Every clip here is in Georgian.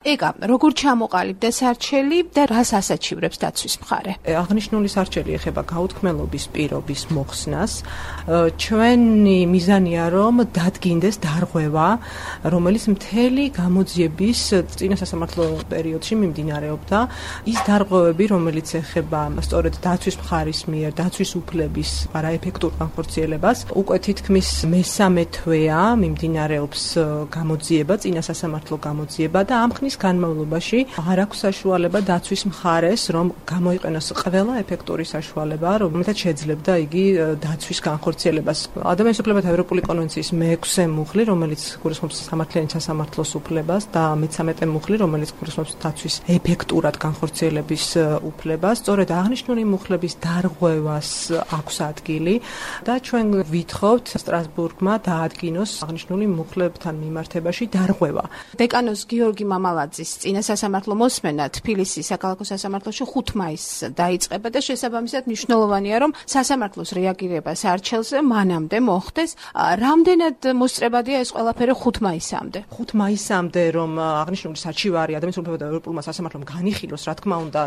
ეკა, როგორ ჩამოყალიბდა სარჩელი და რას ასაჩივრებს დაცვის მხარე? აღნიშნული სარჩელი ეხება გაუთქმელობის პირობის მოხსნას. ჩვენი მიზანია, რომ დადგინდეს დარღვევა, რომელიც მთელი გამოძიების წინა სასამართლო პერიოდში მიმდინარეობდა. ის დარღვევები, რომელიც ეხება სწორედ დაცვის მხარის მიერ დაცვის უფლების არაეფექტურ განხორციელებას, უკვე თითქმის მესამე თვეა მიმდინარეობს გამოძიება, წინა სასამართლო გამოძიება და ამ ხნის განმავლობაში არ აქვს საშუალება დაცვის მხარეს, რომ გამოიყენოს ყველა ეფექტური საშუალება, რომელთაც შეძლებდა იგი დაცვის განხორციელებას. ადამიანის უფლებათა ევროპული კონვენციის მე-6 მუხლი, რომელიც გულისხმობს სამართლიანი სასამართლოს უფლებას და მე-13 მუხლი, რომელიც გულისხმობს დაცვის ეფექტურად განხორციელების უფლებას, სწორედ აღნიშნული მუხლების დარღვევას აქვს ადგილი და ჩვენ ვითხოვთ სტრასბურგმა დაადგინოს აღნიშნული მუხლებთან მიმართებაში დარღვევა. დეკანოს გიორგი მამალაძის წინა სასამართლო მოსმენა თბილისის საქალაქო სასამართლოში 5 მაისს დაიწყება და შესაბამისად მნიშვნელოვანია, რომ სასამართლოს რეაგირება სარჩელზე მანამდე მოხდეს. რამდენად მოსწრებადია ეს ყველაფერი 5 მაისამდე? 5 მაისამდე, რომ აღნიშნული საჩივარი ადამიანის უფლებათა ევროპულმა სასამართლომ განიხილოს, რა თქმა უნდა,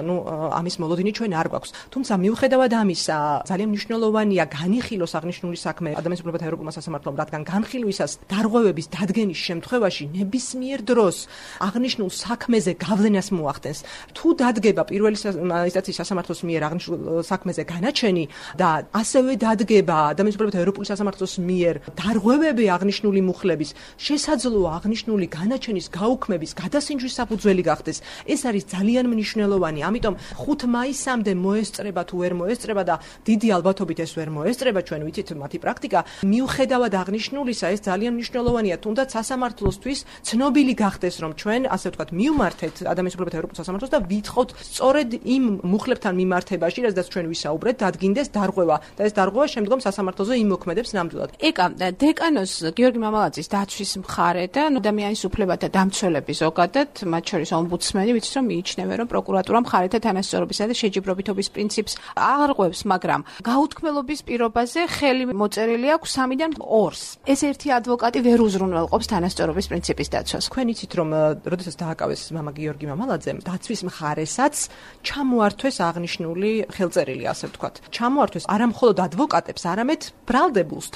ამის მოლოდინი ჩვენ არ გვაქვს. თუმცა მიუხედავად ამისა, ძალიან მნიშვნელოვანია განიხილოს აღნიშნული საქმე ადამიანის უფლებათა ევროპულმა სასამართლომ, რადგან განხილვისას დარღვევების დადგენის შემთხვევაში ნებისმიერ დროს აღნიშნულ საქმეზე გავლენას მოახდენს. თუ დადგება პირველი ინსტანციის სასამართლოს მიერ აღნიშნულ საქმეზე განაჩენი და ასევე დადგება ადამიანის უფლებათა ევროპული სასამართლოს მიერ დარღვევები აღნიშნული მუხლების, შესაძლოა აღნიშნული განაჩენის გაუქმების გადასინჯვის საფუძველი გახდეს. ეს არის ძალიან მნიშვნელოვანი. ამიტომ 5 მაისამდე მოესწრება თუ ვერ მოესწრება და დიდი ალბათობით ეს ვერ მოესწრება, ჩვენ ვიცით მათი პრაქტიკა. მიუხედავად აღნიშნულისა, ეს ძალიან მნიშვნელოვანია, თუნდაც სასამართლოსთვის ცნობილი გახდეს, რომ ჩვენ ასე ვთქვათ, მივმართეთ ადამიანის უფლებათა ევროპულ სასამართლოს და ვითხოვთ სწორედ იმ მუხლებთან მიმართებაში, რაზეც ჩვენ ვისაუბრეთ, დადგინდეს დარღვევა და ეს დარღვევა შემდგომ სასამართლოზე იმოქმედებს ნამდვილად. ეკა, დეკანოს გიორგი მამალაძის დაცვის მხარე და ადამიანის უფლებათა დამცველები ზოგადად, მათ შორის ომბუდსმენი, ვიცით რომ მიიჩნევენ, რომ პროკურატურა მხარეთა თანასწორობისა და შეჯიბრობითობის პრინციპს აღარღვევს, მაგრამ გაუთქმელობის პირობაზე ხელი მოწერილი აქვს 3-დან 2-ს. ეს ერთი ადვოკატი ვერ უზრუნველყოფს თანასწორობის პრინციპის დაცვას. თქვენ იცით, რომ როდესაც დააკავეს მამა გიორგი მამალაძემ, დაცვის მხარესაც ჩამოართვეს აღნიშნული ხელწერილი, ასე ვთქვათ. ჩამოართვეს არა მხოლოდ ადვოკატებს, არამედ ბრალდებულს,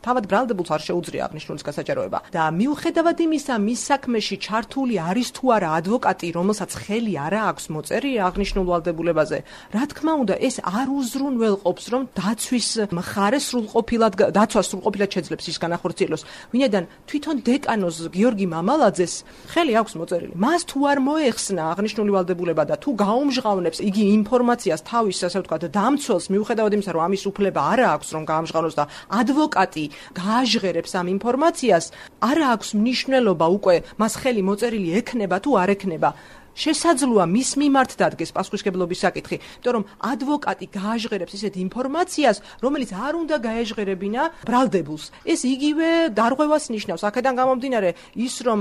თავად ბრალდებულს არ შეუძლია აღნიშნულის გასაჯაროება. და მიუხედავად იმისა, მის საქმეში ჩართული არის თუ არა ადვოკატი, რომელსაც ხელი არა აქვს მოწერილი აღნიშნულ ვალდებულებაზე, რა თქმა უნდა, ეს არ უზრუნველყოფს, რომ დაცვა სრულყოფილად შეძლებს ის განახორციელოს. ვინაიდან თვითონ დეკანოს გიორგი მამალაძეს ხელი აქვს მოწერილი. მას თუ არ მოეხსნა აღნიშნული ვალდებულება და თუ გაუმჟღავნებს იგი ინფორმაციას თავის, ასე ვთქვათ, დამცველს, მიუხედავად იმისა, რომ ამის უფლება არ აქვს, რომ გაამჟღავნოს და ადვოკატი გააჟღერებს ამ ინფორმაციას, არ აქვს მნიშვნელობა უკვე მას ხელი მოწერილი ექნება თუ არ ექნება. შესაძლოა მის მიმართ დადგეს პასუხისმგებლობის საკითხი, იმიტომ რომ ადვოკატი გააჟღერებს ისეთ ინფორმაციას, რომელიც არ უნდა გაეჟღერებინა ბრალდებულს. ეს იგივე დარღვევას ნიშნავს. აქედან გამომდინარე ის, რომ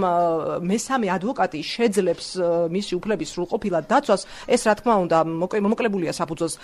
მესამე ადვოკატი შეძლებს მისი უფლების სრულყოფილად დაცვას, ეს რა თქმა უნდა მოკლებულია საფუძველს.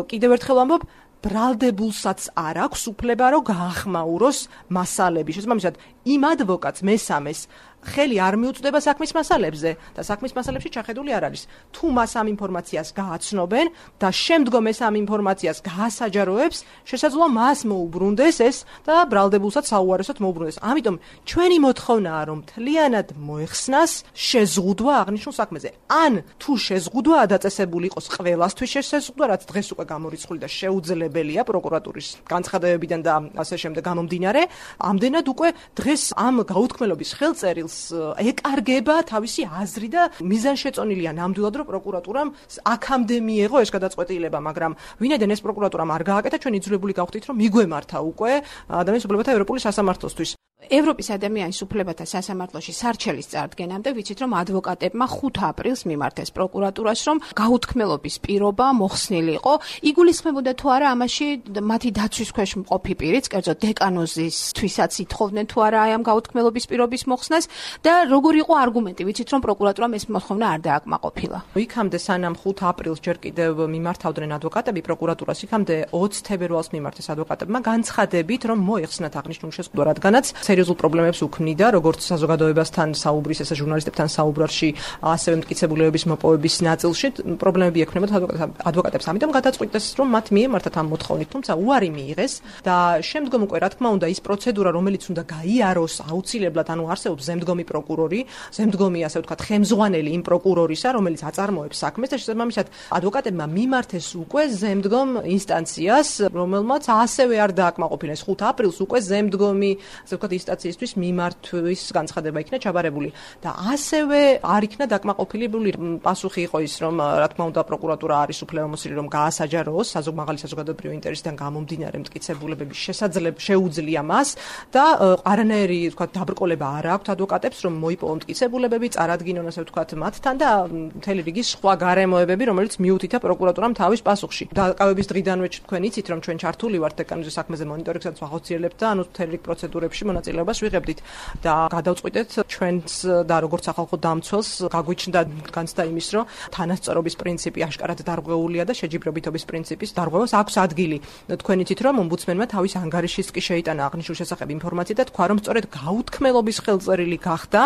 კიდევ ერთხელ ვამბობ, ბრალდებულსაც არ აქვს უფლება, რომ გაახმაუროს მასალები. შესაბამისად, იმ ადვოკატს მესამეს ხელი არ მიუწვდება საქმის მასალებზე და საქმის მასალებში ჩახედული არ არის. თუ მას ამ ინფორმაციას გააცნობენ და შემდგომ ეს ამ ინფორმაციას გაასაჯაროებს, შესაძლოა მას მოუბრუნდეს ეს და ბრალდებულსაც საუარესოდ მოუბრუნდეს. ამიტომ ჩვენი მოთხოვნაა, რომ მთლიანად მოეხსნას შეზღუდვა აღნიშნულ საქმეზე. ან თუ შეზღუდვაა დაწესებული იყოს ყველასთვის შეზღუდვა, რაც დღეს უკვე გამორიცხული და შეუძლებელია პროკურატურის განცხადებებიდან და ასე შემდეგ გამომდინარე, ამდენად უკვე დღეს ამ გაუთქმელობის ხელწერილს ეკარგება თავისი აზრი და მიზანშეწონილია ნამდვილად, რომ პროკურატურამ აქამდე მიეღო ეს გადაწყვეტილება, მაგრამ ვინაიდან ეს პროკურატურამ არ გააკეთა, ჩვენ იძულებული გავხდით, რომ მიგვემართა უკვე ადამიანის უფლებათა ევროპული სასამართლოსთვის. ევროპის ადამიანის უფლებათა სასამართლოში სარჩელის წარდგენამდე ვიცით, რომ ადვოკატებმა 5 აპრილს მიმართეს პროკურატურას, რომ გაუთქმელობის პირობა მოხსნილი იყო. იგულისხმებოდა თუ არა ამაში მათი დაცვის ქვეშ მყოფი პირიც, კერძოდ დეკანოზისთვისაც ითხოვდნენ თუ არა ამ გაუთქმელობის პირობის მოხსნას და როგორი იყო არგუმენტი? ვიცით, რომ პროკურატურამ ეს მოთხოვნა არ დააკმაყოფილა. იქამდე სანამ 5 აპრილს ჯერ კიდევ მიმართავდნენ ადვოკატები პროკურატურას, იქამდე 20 თებერვალს მიმართეს ადვოკატებმა განცხადებით, რომ მოეხსნათ აღნიშნული შეზღუდვა, რადგანაც სერიოზულ პრობლემებს უქმნიდა, როგორც საზოგადოებასთან საუბრის, ესა ჟურნალისტებთან საუბრაში, ასევე მტკიცებულებების მოპოვების ნაწილში პრობლემები ექნებოდა ადვოკატებს. ამიტომ გადაწყვიტეს, რომ მათ მიემართათ ამ მოთხოვნით, თუმცა უარი მიიღეს და შემდგომ უკვე რა თქმა უნდა ის პროცედურა, რომელიც უნდა გაიაროს აუცილებლად, ანუ არსებობს ზემდგომი პროკურორი, ზემდგომი ასე ვთქვათ, ხელმძღვანელი იმ პროკურორისა, რომელიც აწარმოებს საქმეს და შესაბამისად ადვოკატებმა მიმართეს უკვე ზემდგომ ინსტანციას, რომელმაც ასევე არ დააკმაყოფილეს 5 აპრილს უკვე ზემდგომი, ასე ვთქვათ, ინსტანციისთვის მიმართვის განცხადება იქნა ჩაბარებული და ასევე არ იქნა დაკმაყოფილებული პასუხი იყო ის, რომ რა თქმა უნდა პროკურატურა არის უფლებამოსილი, რომ გაასაჯაროოს მაღალი საზოგადოებრივი ინტერესიდან გამომდინარე მტკიცებულებების შეუძლია მას და არანაირი ვთქვათ დაბრკოლება არ აქვს ადვოკატებს, რომ მოიპოვონ მტკიცებულებები, წარადგინონ ასე ვთქვათ მათთან და მთელი რიგი სხვა გარემოებები, რომელიც მიუთითა პროკურატურამ თავის პასუხში. დაკავების დღიდანვე თქვენ იცით, რომ ჩვენ ჩართული ვართ დეკანონის საქმეზე მონიტორინგსაც ვახორციელებთ და ანუ მთელი რიგ პროცედურებში მონაწილეობას ვიღებდით და გადავწყვიტეთ ჩვენს და როგორც სახალხო დამცველს გაგვიჩნდა განცდა იმის, რომ თანასწორობის პრინციპი აშკარად დარღვეულია და შეჯიბრებითობის პრინციპის დარღვევას აქვს ადგილი. თქვენ იცით, რომ ომბუდსმენმა თავის ანგარიშის კი შეიტანა აღნიშნულ შესახებ ინფორმაცია და თქვა, რომ სწორედ გაუთქმელობის ხელწერილი გახდა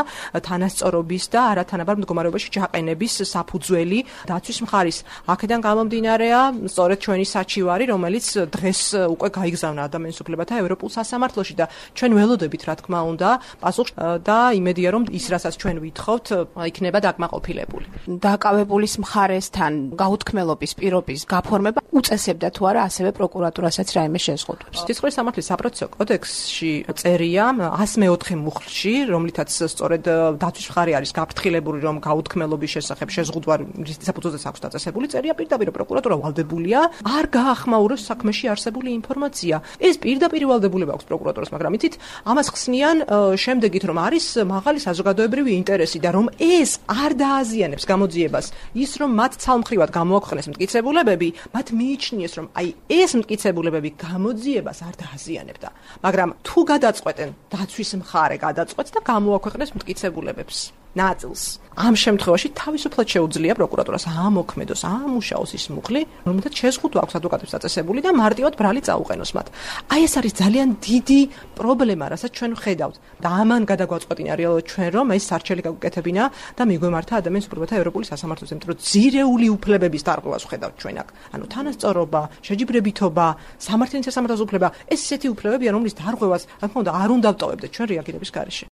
თანასწორობის და არათანაბარ მდგომარეობაში ჩაყენების საფუძველი დაცვის მხარის. აქედან გამომდინარეა სწორედ ჩვენი საჩივარი, რომელიც დღეს უკვე გაიგზავნა ადამიანის უფლებათა ევროპულ სასამართლოში და ჩვენ ველოდებით, რა თქმა უნდა, პასუხს და იმედია, რომ ის, რასაც ჩვენ ვითხოვთ, იქნება დაკმაყოფილებული. დაკავებულის მხარესთან გაუთქმელობის პირობის გაფორმება უწესებდა თუ არა ასევე პროკურატურასაც რაიმე შეზღუდვებს. სისხლის სამართლის საპროცესო კოდექსში წერია 104 მუხლში, რომლითაც სწორედ დაცვის მხარე არის გაფრთხილებული, რომ გაუთქმელობის შესახებ შეზღუდვა რის საფუძველზეც აქვს დაწესებული, წერია პირდაპირ პროკურატურა ვალდებულია არ გაახმაუროს საქმეში არსებული ინფორმაცია. ეს პირდაპირ ვალდებულება აქვს პროკურატურას, მაგრამ იცით, ამას ხსნიან შემდეგით, რომ არის მაღალი საზოგადოებრივი ინტერესი და რომ ეს არ დააზიანებს გამოძიებას, ის რომ მათ ცალმხრივად გამოაქვეყნეს მტკიცებულებები, მათ მიიჩნიეს, რომ აი ეს მტკიცებულებები გამოძიებას არ დააზიანებდა. მაგრამ თუ გადაწყვეტენ, დაცვის მხარე გადაწყვეტს და გამოაქვეყნეს მტკიცებულებებს ნაწილს. ამ შემთხვევაში თავისუფლად შეუძლია პროკურატურას ამოქმედოს, ამუშაოს ის მუხლი, რომელთაც შეზღუდვა აქვს ადვოკატებს დაწესებული და მარტივად ბრალი წაუყენოს მათ. აი ეს არის ძალიან დიდი პრობლემა, რასაც ჩვენ ვხედავთ. და ამან გადაგვაწყვეტინა რეალურად ჩვენ, რომ ეს სარჩელი გაგვიკეთებინა და მიგვემართა ადამიანის უფლებათა ევროპული სასამართლოს, იმიტომ რომ ძირეული უფლებების დარღვევას ვხედავთ ჩვენ აქ. ანუ თანასწორობა, შეჯიბრებითობა, სამართლის სასამართლოს უფლება, ეს ისეთი უფლებებია, რომლის დარღვევას, რა თქმა უნდა, არ უნდა ვტოვებდეთ ჩვენ რეაგირების გარეშე.